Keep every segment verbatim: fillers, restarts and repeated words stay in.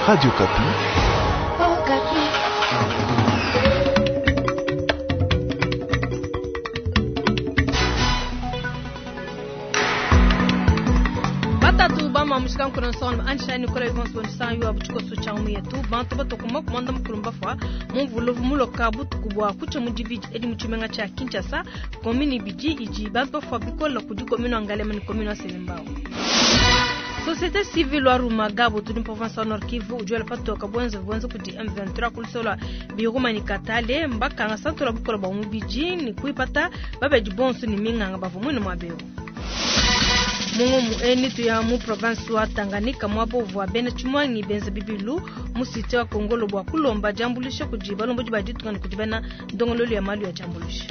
Radio Okapi. Batatu bama mushikankuno nsonga anshani kola bikonso nsanyu wa buchikoso cha yetu bantu batokuma kumanda mukulumba fwa mumvuluvu muloka butuku bwa kucha mudibidi edi muchimenga cha Kinshasa komini bidi iji bantu bafwa bikola kudi komini Ngalema ni komini Selembao. Société civile wa Rumagabo tudi province wa Nord Kivu ujuela patoka bwenze bwenze kudi M vingt-trois kulisola biruma ni katale mbakanga santola bukola bwa mubiji ni kuipata babedi bonso ni minganga bavumwe ni mwabeo. Mungu mueni tuya mu province wa Tanganyika mwabo vwa bena chimwangi benza bibilu musite wa Kongolo bwa kulomba jambulisha kujiba lombo jiba ditunga ni kujibana ndongololo ya malu ya jambulisha.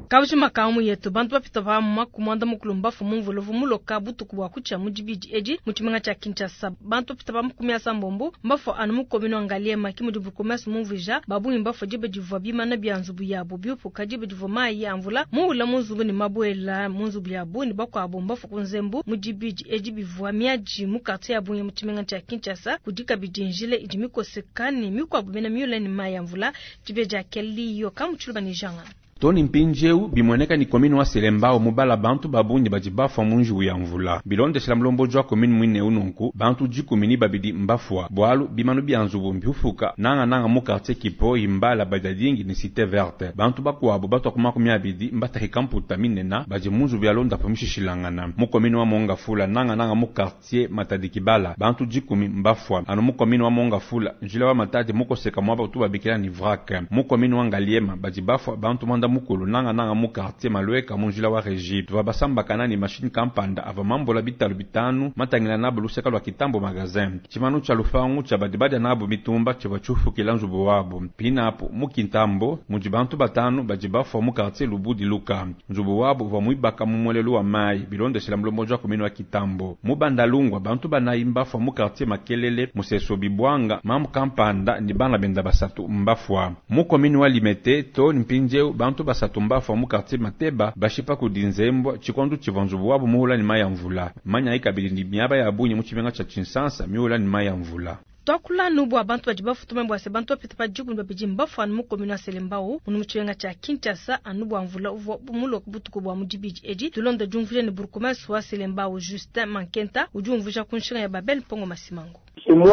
Kauji makamu yetu bantu bapita ba makumanda mukulumba fu mumvuluvu muloka butuku bwa kucha mudibidi edi muchimenga cha Kinshasa bantu bapita ba makumi asambombo mbafo anu mukomino Ngaliema kimudi bukomesa mumvija babu mbafo jibe divwa bimana bya nzubu yabo byupuka jibe divwa mayi amvula muula munzubu ni mabwela munzubu yabo ni bakwabo mbafo kunzembu mudibidi edi bivwa miaji mu quartier ya Bunye muchimenga cha Kinshasa kudika bidinjile idi mikosekani mikwabo bena miula ni mayi amvula jibe ja keliyo kamuchuluba ni janga Tony Mpinjeu bimweneka ni komini wa Selembao mubala bantu babunyi bajibafa munji ya mvula bilondeshela mulombo jwa komini mwine ununku bantu jikumi ni babidi mbafwa bwalu bimanu bya nzubu mbiufuka nanga nanga mu quartier Kipo imbala badadingi ni cité verte bantu bakwabo batwa kuma kumi abidi mbatahika mputa minena baje munzu bya londa pamishishilangana mu komini wa Mongafula nanga nanga mu quartier Matadi Kibala bantu jikumi mbafwa anu mu komini wa Mongafula njila wa Matadi mukoseka mwaba tu babikila ni vrac mu komini wa Ngaliema bajibafwa bantu manda mukulu nanga nanga mu quartier Malweka munjila wa Régie tuva basamba kanani machine kampanda ava mambola bitalu bitanu matangila nabo luseka lwa kitambo magazin chimanu cha lufangu cha badibada nabo mitumba chiva chufukila nzubu wabo pinapo mu kintambo muji bantu batanu bajibafwa mu quartier Lubudi Luka nzubu wabo va mwibaka mu mwelelu wa mai bilondeshela mulombo jwa komini wa kitambo mu bandalungwa bantu banayi mbafwa mu quartier Makelele museso bibwanga mamu kampanda ni bana benda basatu mbafwa mu komini wa Limete to mpinjeu bantu basatu mbafwa mu quartier Mateba bashipa kudinzembwa chikondu chivanzubu wabo muhula ni maya mvula manya ikabili ni miaba ya bunye mu chimenga cha Chinsansa miula ni maya mvula. Twakula nubu abantu badi bafutume bwa se bantu bapita pa jiku babidi mbafu anu mukomino wa Selembao munu muchiwenga cha Kinshasa anu bwa mvula uvwa muloka butuku bwa mudibidi edi tulonda jumvuje ni burkumasi wa Selembao Justin Mankenta ujumvuja kunshinga ya Babel Pongo Masimango.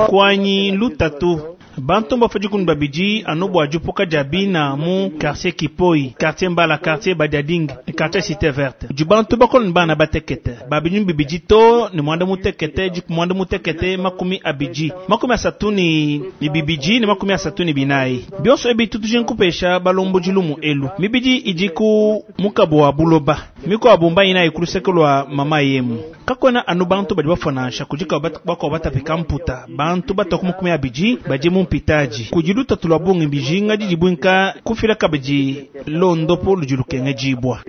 Kwanyi lutatu bantu mbafu babidi anu bwa jupuka jabina mu quartier Kipoi, quartier Mbala, quartier Badiading, quartier Cité Verte. Jubantu bakol bana batekete babinyu bibidi to ni mwanda mutekete jiku mwanda mutekete makumi abiji makumi asatu ni bibiji ni makumi asatu ni binayi bionso ebi tutuje nkupesha balombo jilumu elu mibidi ijiku mukabo wa buloba miko abumba ina ikulusekelwa mama yemu kakona anu bantu badi bafonansha kujika bako batapika mputa bantu batoku makumi abiji baje mu mpitaji kujiluta tulwa bungi bijinga dijibwinka kufila kabiji londopo lujulukenge jibwa.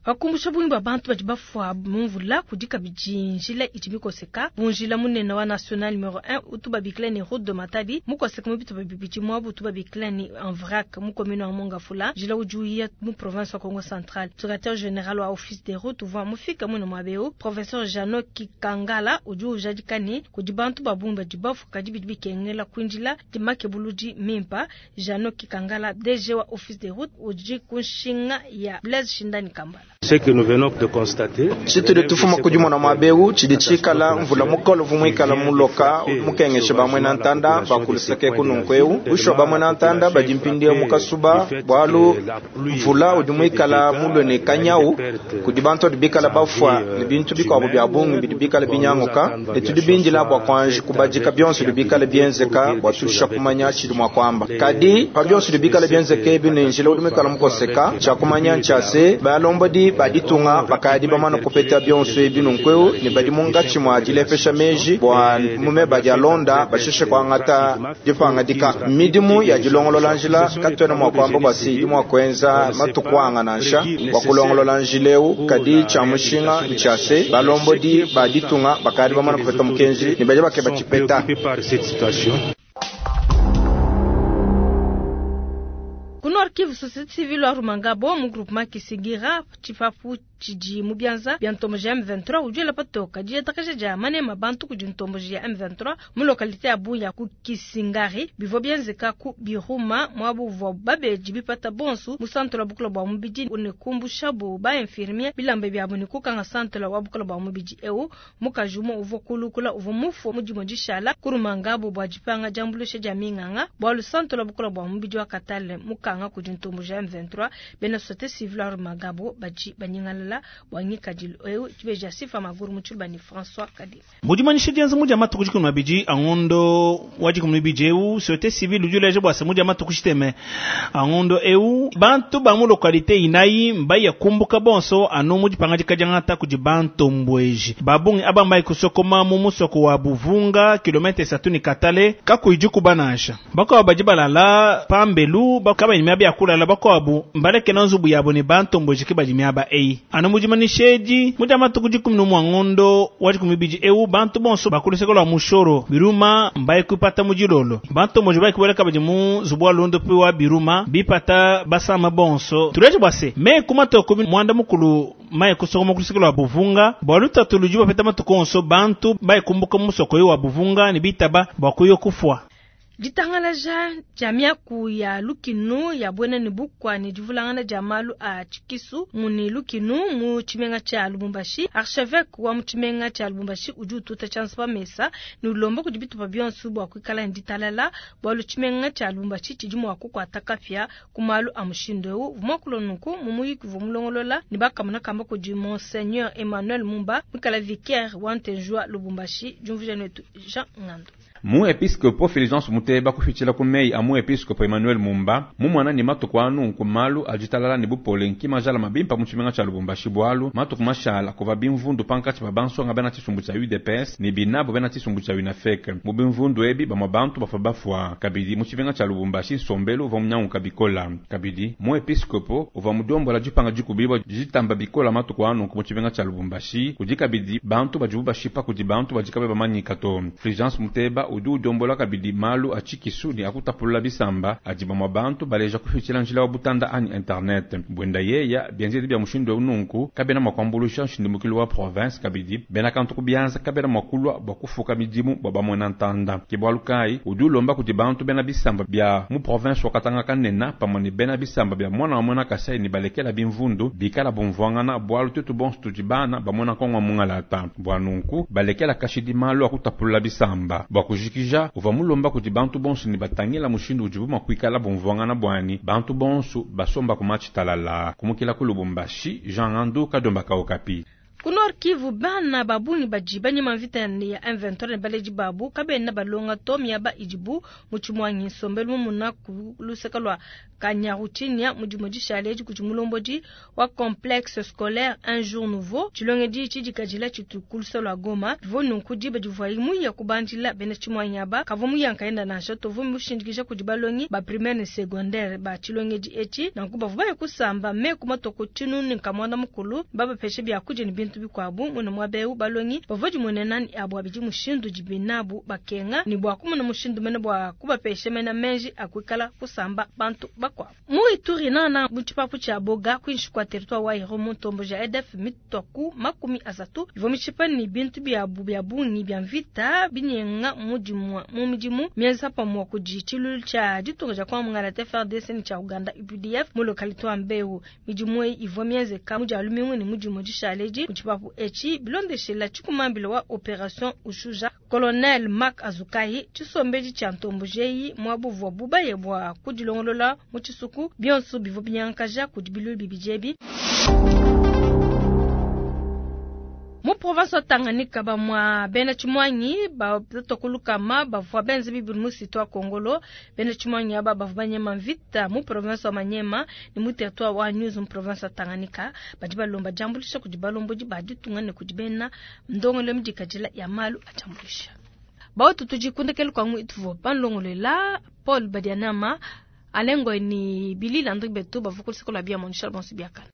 Wakumbusha bungi ba bantu badi bafwa mumvula kudika bijinjila iji mikoseka bunjila munene wa national numero un utu babikila ni route de Matadi mukoseka mubitu babibiji mwabu utu babikila ni en vrac mu commune wa Mongafula jila ujuia mu province wa Congo Central. Secrétaire général wa office des routes uva mufika muno mwabeo professeur Jano Kikangala uju ujadikani kudi bantu babungi badi bafwa kadi bidi bikengela kwinjila dimake buluji mimpa Jano Kikangala D G wa office des routes uji kunshinga ya Blaise Shindani Kambala. Ce que nous venons de constater, chituli tufuma kujimona mwabeu chidi chikala mvula mukolo vumwikala muloka mukengeshe bamwe na ntanda bakuliseke kununkweu usho bamwe na ntanda bajimpindia mukasuba bwalu mvula udi mwikala mulwe ne kanyau kudi bantu adi bikala bafwa ne bintu bikwabo bya bungi bidi bikala binyanguka ne tudi binjila bwa kwanji kubajika byonso bidi bikala byenzeka bwa tusha kumanya chidi mwa kwamba kadi pa byonso bidi bikala byenzeka ebi ne njila udi mwikala mukoseka cha kumanya nchase balombo di baditunga bakadi bamana kupeta byonso ebi nunkweu ne badi mungatshi mwa dilepesha meji bwa mume badi alonda basheshe kwangata dipangadika midimu ya dilongolola njila katwena mwa kwamba bwasi idi mwa kwenza matukwanga nansha bwa kulongolola njileu kadi cha mushinga nchase balombo di baditunga bakadi bamana kupeta mukenji ne badi bakeba chipeta. Ku Nord Nord Kivu, société civile wa Rumangabo mu groupement Kisigira tshipapu tshidi mu bianza bia ntomboji ya M vingt-trois udi patoka didiatakaja dia manema bantu kudi ntomboji ya M vingt-trois mu localité ya Buya ku Kisingari bivua bienzeka ku Biruma mwabu uvua babeji bipata bonsu mu centre wa bukula bua mubidi ne kumbushabu ba infirmier bilamba biabu ne kukanga centre wa bukula bua mubidi eu mukaji umue uvua kulukula uvua mufu mu dimue dishala ku Rumangabo bua dipanga diambuluisha dia minganga bualu centre wa bukula bua mubidi wa Katale mukanga kudi ntomboji ya M vingt-trois bena société civile wa Rumangabo badi banyingalala bwangikadilu eu chibeja sifa maguru muchulba ni François Kadi mudimanyisha dienza mudia matuku dikumi mabidi angondo wa dikumi mibidi eu société civile udi uleja bua se mudia matuku tshiteme angondo eu bantu ba mu localité inayi mbaya kumbuka bonso anu mudipanga dikadiangata kudi bantombweji babungi aba mbayi kusokoma mu musoko wa Buvunga kilomètre esatu ni Katale kakuidi kubanansha bakuabu badi balala pambelu bakabanyi miaba ya kulala bakuabu mbalekena nzubu yabo ne bantombweji ke badi miaba eyi anu mudimanyishedi mudia matuku dikumi n'umue ngondo wa dikumi mibidi eu bantu bonso bakuluseka lwa mushoro Biruma mbayi kupata mudilolo bantomboji bayi kubeleka badi mu nzubu wa lundo pe wa Biruma bipata basama bonso tuleje bwase me kumatoko mwanda mukulu mayi kusokoma kuluseka lwa Buvunga bua lutatu ludi bapeta matuku onso bantu bayi kumbuka musoko yo wa Buvunga ne bitaba bua kuyo kufua. Ditangalaja dia miaku ya lukinu ya bwena ne bukwa ne divulangana dia malu a tshikisu muni lukinu mu tshimenga tshia Lubumbashi. Archevêque wa mu tshimenga tshia Lubumbashi udi ututa tshianza pa mesa ne ulomba kudi bitupa bionso bua kuikala ne ditalala bualu tshimenga tshia Lubumbashi tshidi mua kukuata kapia ku malu a mushindu eu. Vumwakulo nunku mu muyiki uvua mulongolola ne bakamona kamba kudi Monseigneur Emmanuel Mumba muikala vicaire wa Ntenjua Lubumbashi. Diumvuija netu Jean Ngando. Mu episcopo Fulgence Muteba kufichila ku mei a mu episcopo Emmanuel Mumba mumwana ni matuku anu ku malu ajitalala ni bupole nkima jala mabimpa mu tshimenga tshia Lubumbashi bualu matuku mashala kuva bimvundu pankatshi pa bansonga bena tshisumbu tshia U D P S ni binabo bena tshisumbu tshia UNAFEC mu bimvundu ebi bamwa bantu bafa bafwa kabidi mu tshimenga tshia Lubumbashi nsombelu uva munyanguka bikola kabidi mu episcopo uva mudombola dipanga dikubibwa dijitamba bikola matuku anu ku mu tshimenga tshia Lubumbashi kudi kabidi bantu badibu bashipa kudi bantu badikabe bamanyika to. Fulgence Muteba udi udombola kabidi malu a tshikisu ni akutapulula bisamba adi bamwa bantu baleja kufichila njila wa butanda anyi internet bwenda yeya bienzedi bia mushindu nunku kabena mwa kuambulusha nshindimukilo wa province kabidi bena kantu kubianza kabena mwa kulwa bwa kufuka midimu bwa bamwena ntanda ke bwalu kai udi ulomba kudi bantu bena bisamba bia mu province wa Katanga kanena pamwe ne bena bisamba bia mwana wa mwana Kasai ni balekela bimvundu bikala bumvwangana bwalu tutu bonso tudi bana bamwena kongwa mungalata bwa nunku balekela kashidi malu akutapulula bisamba bwa kujikija uva mulomba kudi bantu bonso ni batangila mushindu udibu mwa kuikala bumvwangana bwani bantu bonso basomba kumachitalala kumukila ku Lubumbashi Jean Ngandu Kadomba Kaokapi. Ku Nord Kivu bana babungi badi banyema mvita ya M vingt-trois ne baleji babu kabena balonga to miaba idibu mu tshimwangi nsombelu mumuna ku luseka lwa Kanyaruchinya mu dimue dishale edi kudi mulombodi wa complexe scolaire Un Jour Nouveau tshilongedi tshidikadila tshitu ku luseka lwa Goma bivua nunku diba divuaye muya kubandila bena tshimwangi aba kavua muyankaenda nansha tovua mushindikija kudi balongi ba primaire ne secondaire ba tshilongedi etshi nanku bavua baya kusamba meku matoko tshinunu nkamwanda mukulu babapeshe biakudia ne bintu bikwabu muna mwabeu balongi bavua dimone nani abo abidi mushindu dibinabu bakenga ni bwa kumuna mushindu mene bwa kubapeshe mena menji akuikala kusamba bantu bakwabu mu Ituri nana mu tshipapu tshia Boga kwinshi kwa territoire wa Irumu ntombo ja E D F mitoku makumi asatu bivua mishipa ni bintu byabu bya bungi bya mvita binyenga mu dimua mu midimu mienza pamwa kudi tshilulu tshia ditunga dia kwa mungala F R D C ni tshia Uganda U P D F mu localité wa Mbeu midimu eyi ivua mienzeka mu dia lumingu ni mu dimue dishale edi mu tshipapu etshi bilondeshela tshikumambila wa opération Ushuja Colonel Mark Azukai tshisombeji tshia ntombo jeyi mwabuvua bubaye bwa kudilongolola mu tshisuku bionso bivua binyankaja kudi bilulu bibijebi. Mu province wa Tanganyika bamwa bena tshimwangi ba tokulukama bavua benze bibulu mu site wa Kongolo bena tshimwangi aba bavua banyema mvita mu province wa Manyema ni mu territoire wa News mu province wa Tanganyika badi balomba jambulisha kudi balombodi ba ditunga ne kudi bena ndongolo midikadila ya malu ajambulisha. Bautu tujikundekele kwangu ituvo panlongolela Paul Badianama alengo ni Billy Landry Beto bavua kulisikola bia monisha bonso biakana.